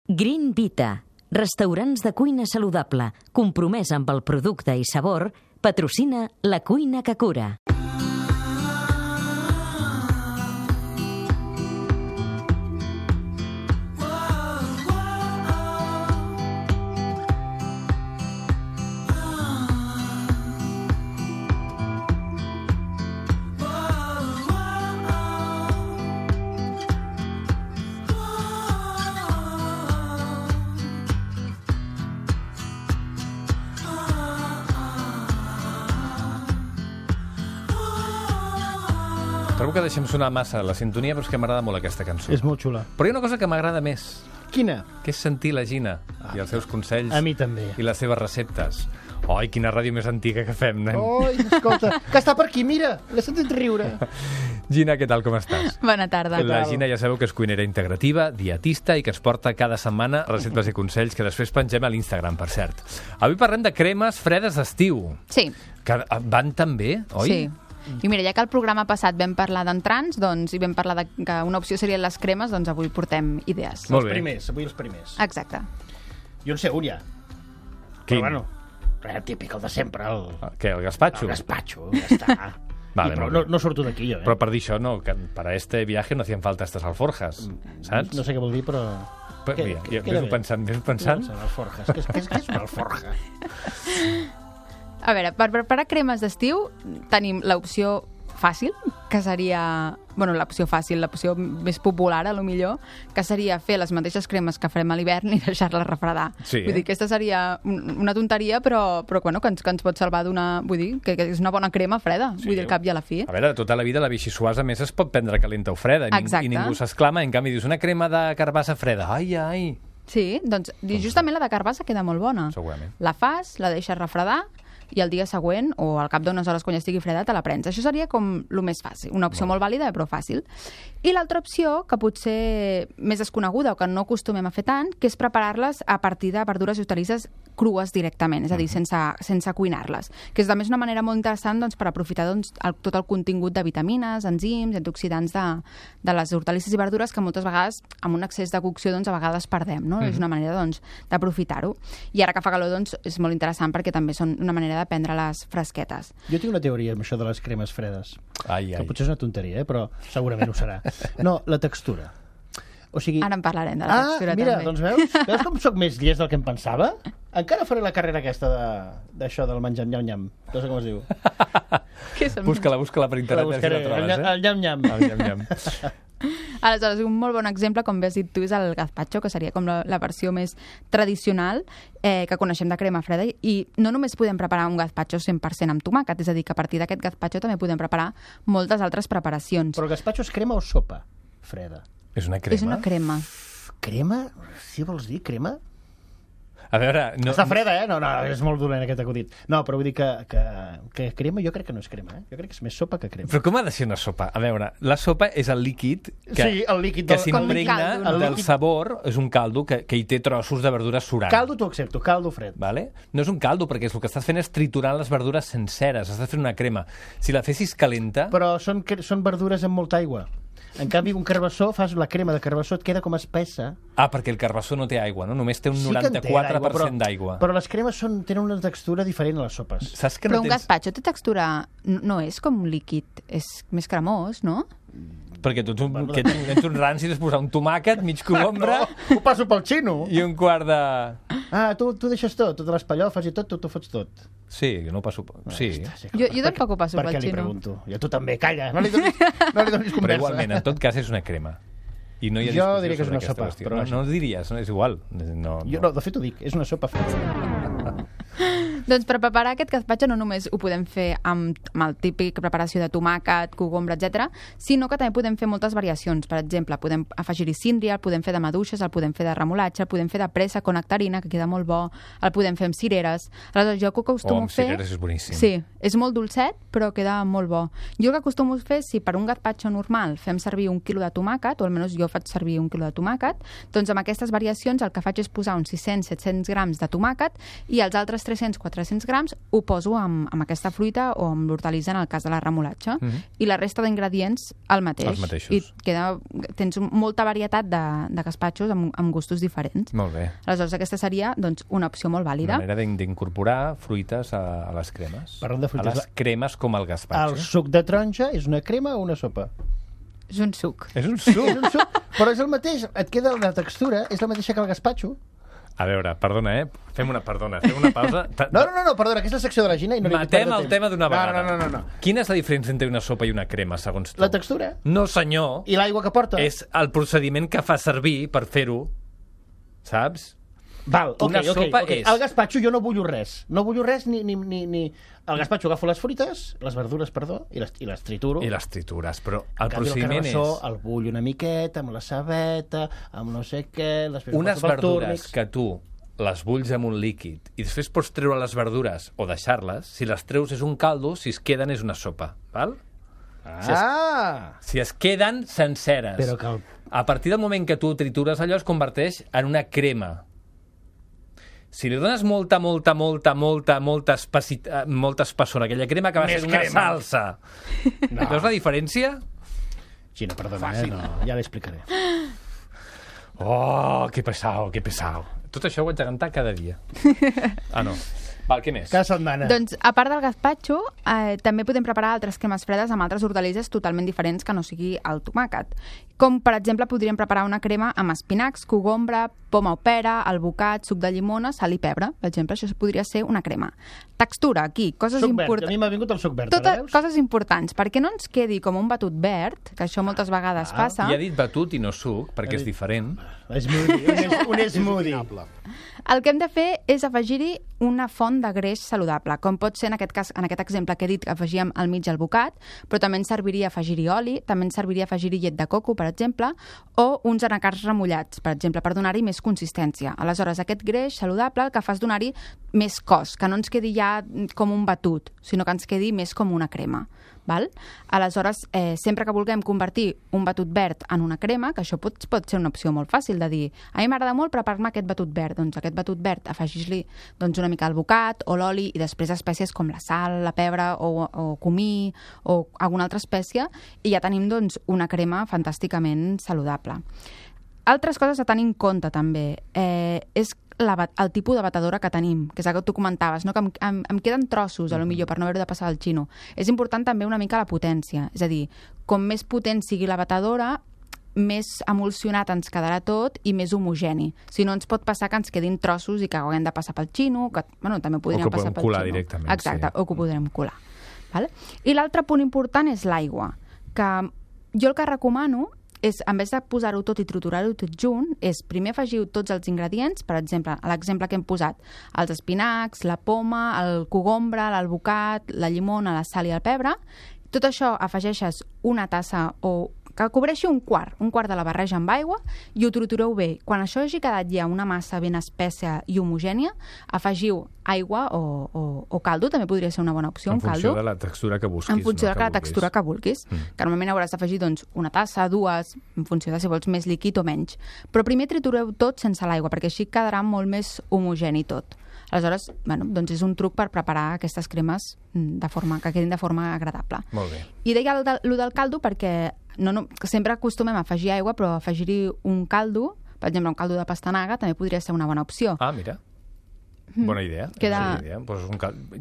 Green Vita, restaurants de cuina saludable, compromès amb el producte i sabor, patrocina La Cuina que Cura. Trobo que deixem sonar massa la sintonia, però és que m'agrada molt aquesta cançó. És molt xula. Però hi ha una cosa que m'agrada més. Quina? Que és sentir la Gina i els seus consells. A mi també. I les seves receptes. Oi, quina ràdio més antiga que fem, nen. Oi, escolta, que està per aquí, mira, l'he sentit riure. Gina, què tal, com estàs? Bona tarda. La Gina ja sabeu que és cuinera integrativa, dietista i que es porta cada setmana receptes i consells que després pengem a l'Instagram, per cert. Avui parlem de cremes fredes d'estiu. Sí. Que van tan bé, oi? Sí. I mira, ja que el programa passat vam parlar d'entrants, doncs, i vam parlar que una opció serien les cremes, doncs avui portem idees. Molt bé. Els primers, avui els primers. Exacte. Jo en sé un ja. Quin? Però bueno, res típic, el de sempre, Què, el gazpacho? el gazpacho, ja està. Vale, però molt bé. no surto d'aquí, jo, Però per dir això, no, que para este viaje no hacían falta estas alforjas, saps? No sé què vol dir, però... Mira, ves pensant. Alforjas. Què és una alforja? A veure, per preparar cremes d'estiu tenim l'opció fàcil, que seria... Bueno, l'opció fàcil, l'opció més popular, a lo millor, que seria fer les mateixes cremes que farem a l'hivern i deixar-les refredar. Sí, Vull dir, aquesta seria una tonteria, però bueno, que ens pot salvar d'una... Vull dir, que és una bona crema freda, Sí. vull dir, al cap i a la fi. A veure, tota la vida la vichysuasa més es pot prendre calenta o freda Exacte. i ningú s'exclama, en canvi dius una crema de carbassa freda, ai, Sí, doncs justament la de carbassa queda molt bona. segurament. La fas, la deixes refredar i el dia següent, o al cap d'unes hores quan ja estigui freda, te la prens. Això seria com el més fàcil. Una opció molt vàlida, però fàcil. I l'altra opció, que potser més desconeguda o que no acostumem a fer tant, que és preparar-les a partir de verdures i hortalisses crues directament, és a dir, sense cuinar-les. Que és també una manera molt interessant doncs, per aprofitar tot el contingut de vitamines, enzims, antioxidants de les hortalisses i verdures que moltes vegades, amb un excés de cocció, doncs, a vegades perdem. No? És una manera d'aprofitar-ho. I ara que fa calor, doncs, és molt interessant perquè també són una manera de prendre-les fresquetes. Jo tinc una teoria amb això de les cremes fredes. Ai. Que potser és una tonteria, però segurament ho serà. No, la textura. O sigui... Ara en parlarem de la textura mira, també. doncs veus com sóc més llest del que em pensava? Encara faré la carrera aquesta d'això del menjar nyam-nyam. No sé com es diu. Què és el Busca-la per internet. La buscaré, el nyam-nyam. El nyam-nyam. Aleshores, un molt bon exemple, com bé has dit tu, és el gazpacho, que seria com la versió més tradicional que coneixem de crema freda, i no només podem preparar un gazpacho 100% amb tomàquet, és a dir, que a partir d'aquest gazpacho també podem preparar moltes altres preparacions. Però el gazpacho és crema o sopa freda? És una crema? És una crema. Crema? Si vols dir crema? A veure... No, Està freda, eh? No, és molt dolent aquest acudit. No, però vull dir que crema jo crec que no és crema, eh? Jo crec que és més sopa que crema. Però com ha de ser una sopa? A veure, la sopa és el líquid que, Sí, el líquid que del- s'impregna com un caldo, no? del sabor, és un caldo que hi té trossos de verdura surant. Caldo t'ho accepto, caldo fred. Vale? No és un caldo, perquè el que estàs fent és triturant les verdures senceres, estàs fent una crema. Si la fessis calenta... Però són verdures amb molta aigua. En canvi, un carbassó, fas la crema de carbassó, et queda com espessa. Ah, perquè el carbassó no té aigua, no? Només té un Sí que en té 94% d'aigua. Però les cremes tenen una textura diferent a les sopes. Saps que Però no un tens... gazpacho té textura... No és com un líquid, és més cremós, no? Perquè tu ets un ranci de posar un tomàquet, mig colombra Ho passo pel xino. i un quart de... Ah, tu deixes tot, totes les pallofes i tot, tu t'ho fots tot. Sí, no ho passo... Sí. Jo tampoc ho passo per pel què li xino. pregunto? I tu també, calla, no li donis conversa. Però igualment, en tot cas, és una crema. I no hi ha Jo discussió diria que és sobre una aquesta sopa, qüestió. però No, vaja. no ho diries, no? És igual. No. De fet ho dic, és una sopa freda. Doncs per preparar aquest gazpacho no només ho podem fer amb el típic preparació de tomàquet, cogombre, etc, sinó que també podem fer moltes variacions. Per exemple, podem afegir-hi síndria, el podem fer de maduixes, el podem fer de remolatge, el podem fer de pressa con nectarina, que queda molt bo, el podem fer amb cireres. Aleshores, jo que acostumo amb a fer... cireres és boníssim. Sí, és molt dolcet, però queda molt bo. Jo el que acostumo a fer, si per un gazpacho normal fem servir 1 quilo de tomàquet, o almenys jo jo faig servir 1 quilo de tomàquet, doncs amb aquestes variacions el que faig és posar uns 600-700 grams de tomàquet i els altres 300-400 grams ho poso amb aquesta fruita o amb l'hortalissa en el cas de la remolatxa. I la resta d'ingredients el mateix. Els mateixos. I tens molta varietat de gaspatxos amb gustos diferents. Molt bé. Aleshores, aquesta seria doncs, una opció molt vàlida. Una manera d'incorporar fruites a les cremes. Parlant de fruites, a les cremes com el gaspatxo. El suc de taronja és una crema o una sopa? És un suc. És un suc. És un suc, però és el mateix. Et queda la textura, és la mateixa que el gaspatxo. A veure, perdona, fem una pausa. No, perdona, que és la secció de la Gina i no li vull Matem perdre el temps. tema d'una vegada. No. Quina és la diferència entre una sopa i una crema, segons tu? La textura. No, senyor. I l'aigua que porta. És el procediment que fa servir per fer-ho, saps? Val, Una sopa és... El gaspatxo jo no bullo res. No bullo res ni... El gaspatxo agafo les fruites, les verdures, perdó, i les trituro. I les tritures, però el En canvi, procediment el carbassó, és... el bullo una miqueta, amb la cebeta, amb no sé què... Unes verdures que tu les bulls amb un líquid i després pots treure les verdures o deixar-les, si les treus és un caldo, si es queden és una sopa, val? Si es queden senceres. Però que A partir del moment que tu tritures allò es converteix en una crema. Si li dones molta espessor a aquella crema acaba sent una salsa. No. Veus la diferència? Gina, perdona, no, ja l'explicaré. Oh, que pesado. Tot això ho haig de cantar cada dia. Ah, no. Val, què més? Cada setmana. Doncs, a part del gazpacho, també podem preparar altres cremes fredes amb altres hortalisses totalment diferents que no sigui el tomàquet. Com, per exemple, podríem preparar una crema amb espinacs, cogombra, poma o pera, albocat, suc de llimona, sal i pebre. Per exemple, això podria ser una crema. Textura, aquí, coses Suc verd. importants. A mi m'ha vingut el suc verd, Totes ara veus? coses importants, perquè no ens quedi com un batut verd, que això moltes vegades passa. I ha dit batut i no suc, perquè és diferent. Un smoothie. El que hem de fer és afegir-hi una font de greix saludable, com pot ser en aquest cas, en aquest exemple que he dit que afegíem al mig albocat, però també ens serviria afegir-hi oli, també ens serviria afegir-hi llet de coco, per exemple, o uns anacards remullats, per exemple, per donar-hi més consistència. Aleshores, aquest greix saludable el que fa és donar-hi més cos, que no ens quedi ja com un batut, sinó que ens quedi més com una crema. Val? Aleshores, sempre que vulguem convertir un batut verd en una crema, que això pot ser una opció molt fàcil de dir, a mi m'agrada molt preparar-me aquest batut verd, doncs aquest batut verd afegir-li doncs, una mica d'albocat o l'oli i després espècies com la sal, la pebre o comí o alguna altra espècie i ja tenim doncs, una crema fantàsticament saludable. Altres coses a tenir en compte també és el tipus de batedora que tenim, que és el que tu comentaves, no? Que em queden trossos, a lo millor, per no haver-ho de passar al xino. És important també una mica la potència, és a dir, com més potent sigui la batedora, més emulsionat ens quedarà tot i més homogeni. Si no, ens pot passar que ens quedin trossos i que haguem de passar pel xino, que bueno, també podríem passar pel xino. O que podem colar directament. Exacte, sí. O que ho podrem colar. Vale? I l'altre punt important és l'aigua, que jo el que recomano és, en vez de posar-ho tot i triturar-ho tot junt, és primer afegiu tots els ingredients, per exemple, l'exemple que hem posat, els espinacs, la poma, el cogombre, l'albocat, la llimona, la sal i el pebre. Tot això afegeixes una tassa o que cobreixi un quart de la barreja amb aigua i ho tritureu bé. Quan això hagi quedat ja una massa ben espessa i homogènia, afegiu aigua o caldo, també podria ser una bona opció, un caldo. En funció de la textura que busquis. En funció de la textura que vulguis. Que normalment hauràs d'afegir doncs, una tassa, dues, en funció de si vols més líquid o menys. Però primer tritureu tot sense l'aigua, perquè així quedarà molt més homogeni tot. Aleshores, bueno, doncs és un truc per preparar aquestes cremes que quedin de forma agradable. Molt bé. I deia allò del caldo perquè sempre acostumem a afegir aigua, però afegir-hi un caldo, per exemple, un caldo de pastanaga, també podria ser una bona opció. Ah, mira. Bona idea. Pues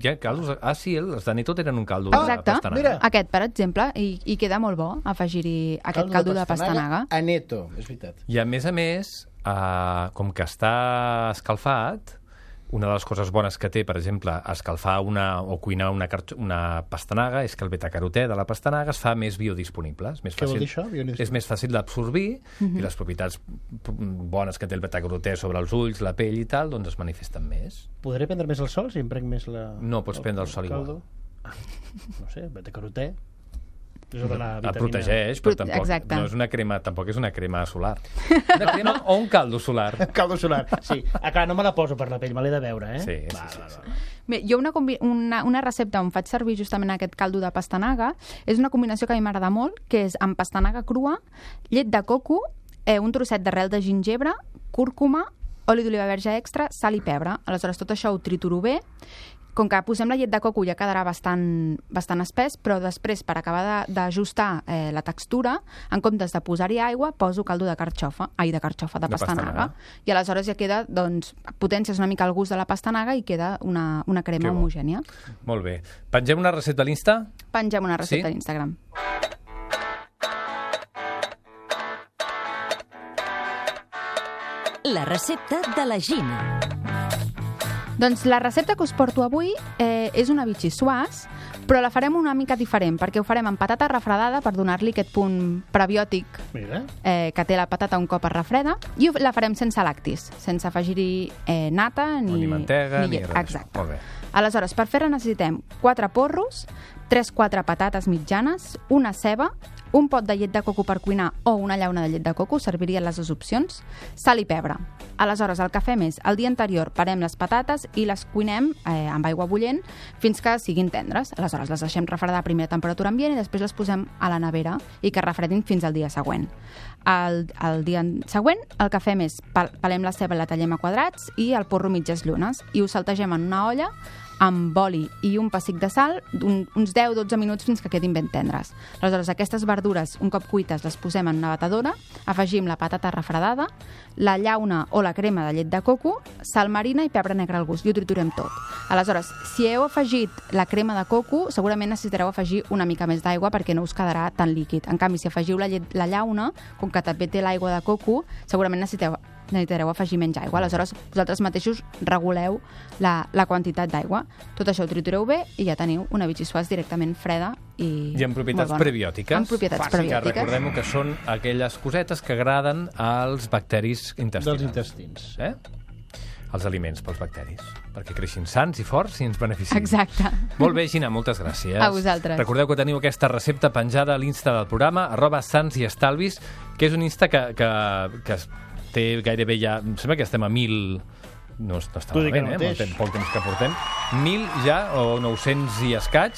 hi ha caldos... Ah, sí, els de Neto tenen un caldo de pastanaga. Mira. Aquest, per exemple, i queda molt bo afegir-hi aquest caldo de pastanaga. A Neto, és veritat. I a més, com que està escalfat, una de les coses bones que té, per exemple, escalfar o cuinar una pastanaga és que el betacarotè de la pastanaga es fa més biodisponible. Què vol dir això? És més fàcil d'absorbir i les propietats bones que té el betacarotè sobre els ulls, la pell i tal, doncs es manifesten més. Podré prendre més el sol si em prenc més la... No, pots prendre el sol igual. No sé, betacarotè. Et protegeix, però tampoc no és una crema, tampoc és una crema solar. Una crema o un caldo solar. Caldo solar, sí. Clar, no me la poso per la pell, me l'he de veure, eh? Sí. Bé, jo una recepta on faig servir justament aquest caldo de pastanaga és una combinació que a mi m'agrada molt, que és amb pastanaga crua, llet de coco, un trosset d'arrel de gingebre, cúrcuma, oli d'oliva verge extra, sal i pebre. Aleshores, tot això ho trituro bé. Com que posem la llet de coco ja quedarà bastant espès, però després, per acabar d'ajustar la textura, en comptes de posar-hi aigua, poso caldo de de pastanaga. I aleshores ja queda, doncs, potències una mica al gust de la pastanaga i queda una crema homogènia. Molt bé. Pengem una recepta a l'Insta? Pengem una recepta a l'Instagram. La recepta de la Gina. Doncs la recepta que us porto avui és una bitxissuàs, però la farem una mica diferent, perquè ho farem amb patata refredada per donar-li aquest punt prebiòtic que té la patata un cop es refreda, i la farem sense lactis, sense afegir-hi nata ni mantega ni llet. res. Exacte. Molt bé. Aleshores, per fer-la necessitem 4 porros, 3-4 patates mitjanes, una ceba, un pot de llet de coco per cuinar o una llauna de llet de coco, servirien les dues opcions, sal i pebre. Aleshores, el que fem és, el dia anterior parem les patates i les cuinem amb aigua bullent fins que siguin tendres. Aleshores, les deixem refredar a primera temperatura ambient i després les posem a la nevera i que refredin fins al dia següent. El dia següent el que fem és, pelem la ceba i la tallem a quadrats i el porro mitges llunes i ho saltegem en una olla amb oli i un pessic de sal, uns 10-12 minuts fins que quedin ben tendres. Aleshores, aquestes verdures, un cop cuites, les posem en una batedora, afegim la patata refredada, la llauna o la crema de llet de coco, sal marina i pebre negre al gust, i ho triturem tot. Aleshores, si heu afegit la crema de coco, segurament necessitareu afegir una mica més d'aigua perquè no us quedarà tan líquid. En canvi, si afegiu la llauna, com que també té l'aigua de coco, segurament necessitareu afegir menys aigua. Aleshores, vosaltres mateixos reguleu la quantitat d'aigua. Tot això ho tritureu bé i ja teniu una bitxissuàs directament freda i amb propietats prebiòtiques. Amb propietats prebiòtiques. Que recordem que són aquelles cosetes que agraden als bacteris intestinals. Dels intestins. Els aliments pels bacteris, perquè creixin sants i forts i ens beneficien. Exacte. Molt bé, Gina, moltes gràcies. A vosaltres. Recordeu que teniu aquesta recepta penjada a l'Insta del programa, @sansiestalvis, que és un Insta que té gairebé ja... Em sembla que estem a 1.000... No està malament, poc temps que portem. 1.000 ja, o 900 i escaig,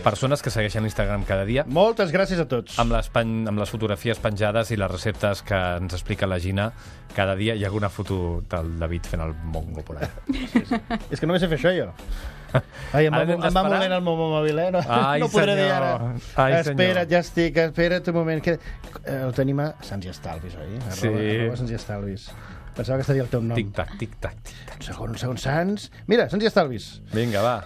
persones que segueixen l'Instagram cada dia. Moltes gràcies a tots. Amb les fotografies penjades i les receptes que ens explica la Gina cada dia. Hi ha alguna foto del David fent el mongo por allà. Sí. És que només sé fer això, jo. Ai, em va movent el meu mòbil, no podré dir ara. Espera't, ja estic, espera't un moment. Ho tenim a Sants i Estalvis, oi? Sí. Sants i Estalvis. Pensava que estaria el teu nom. Tic-tac, tic-tac. Un segon, Sants. Mira, Sants i Estalvis. Vinga, va.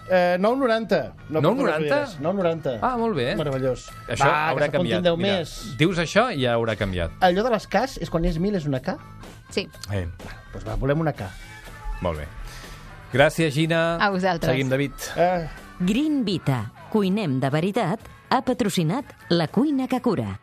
9,90. 9,90? 9,90. Ah, molt bé. Meravellós. Això haurà canviat. Mira, dius això i ja haurà canviat. Allò de les Ks és quan és 1.000 és una K? Sí. Doncs va, volem una K. Molt bé. Gràcies, Gina. A vosaltres. Seguim, David. Green Vita. Cuinem de veritat. Ha patrocinat La Cuina que Cura.